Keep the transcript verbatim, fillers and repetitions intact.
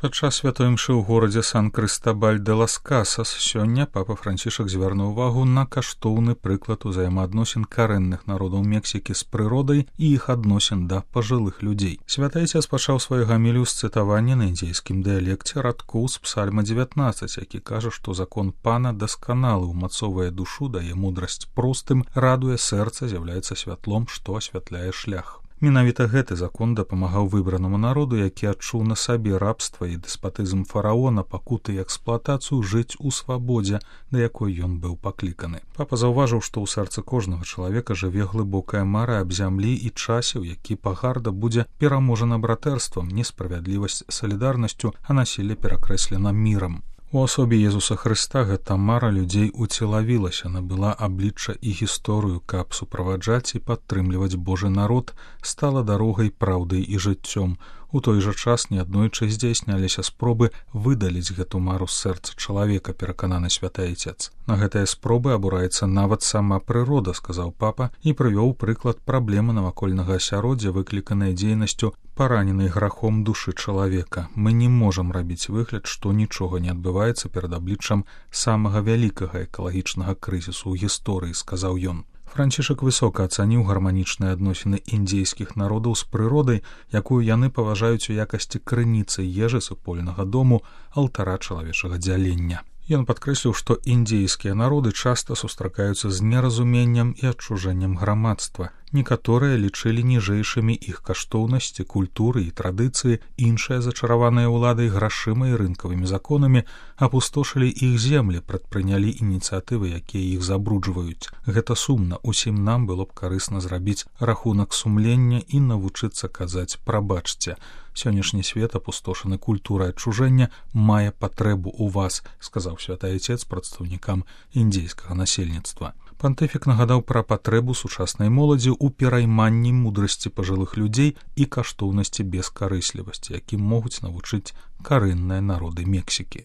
Падчас святой імшы ў горадзе Сан-Крыстабаль-де-лас-Касас сёння папа Францішак звярнуў увагу на каштоўны прыклад узаемаадносін карэнных народаў Мексікі з прыродай і іх адносін да пажылых людзей. Святы Айцец пачаў сваю гамілію з цытавання на індзейскім дыялекце радкоў з псальма дзевятнаццаць, які кажа, што закон пана дасканалы, умацоўвае душу, дае мудрасць простым, радуе сэрца, з'яўляецца святлом, што асвятляе шлях. Менавіта гэты закон дапамагаў выбранаму народу, які адчуў на сабе рабства і дэспатызм фараона, пакуты і эксплуатацыю, жыць у свабодзе, да якой ён быў пакліканы. Папа заўважыў, што ў сэрцы кожнага чалавека жыве глыбокая мара аб зямлі і часе, у які пагарда будзе пераможана братэрствам, несправядлівасць салідарнасцю, а насілле перакрэслена мірам. У асобе Езуса Хрыста гэта мара людзей уцелавілася, набыла аблічча і гісторыю, каб суправаджаць і падтрымліваць Божы народ, стала дарогай, праўдай і жыццём. У той жа час неаднойчы здзяйсняліся спробы выдаліць гэту мару з сэрца чалавека, перакананы святы Айцец. На гэтыя спробы абураецца нават сама прырода, сказаў папа, і прывёў прыклад праблемы навакольнага асяроддзя, выкліканай дзейнасцю параненай грахом душы чалавека. Мы не можам рабіць выгляд, што нічога не адбываецца перад абліччам самага вялікага экалагічнага крызісу ў гісторыі, сказаў ён. Францішак высока ацаніў гарманічныя адносіны індзейскіх народаў з прыродай, якую яны паважаюць у якасці крыніцы ежы, супольнага дому, алтара чалавечага дзялення. Ён падкрэсліў, што індзейскія народы часта сустракаюцца з неразуменнем і адчужэннем грамадства. Некаторыя лічылі ніжэйшымі іх каштоўнасці, культуры і традыцыі, іншыя зачараваныя ўладай грашыма і рынкавымі законамі апустошылі іх землі, прадпрынялі ініцыятывы, якія іх забруджваюць. Гэта сумна, усім нам было б карысна зрабіць рахунак сумлення і навучыцца казаць «прабачце». Сённяшні свет, апустошаны культурай адчужэння, мае патрэбу ў вас, сказаў святы Айцец прадстаўнікам індзейскага насельніцтва. Пантыфік нагадаў пра патрэбу сучаснай моладзі ў перайманні мудрасці пажылых людзей і каштоўнасці бескарыслівасці, якім могуць навучыць карэнныя народы Мексікі.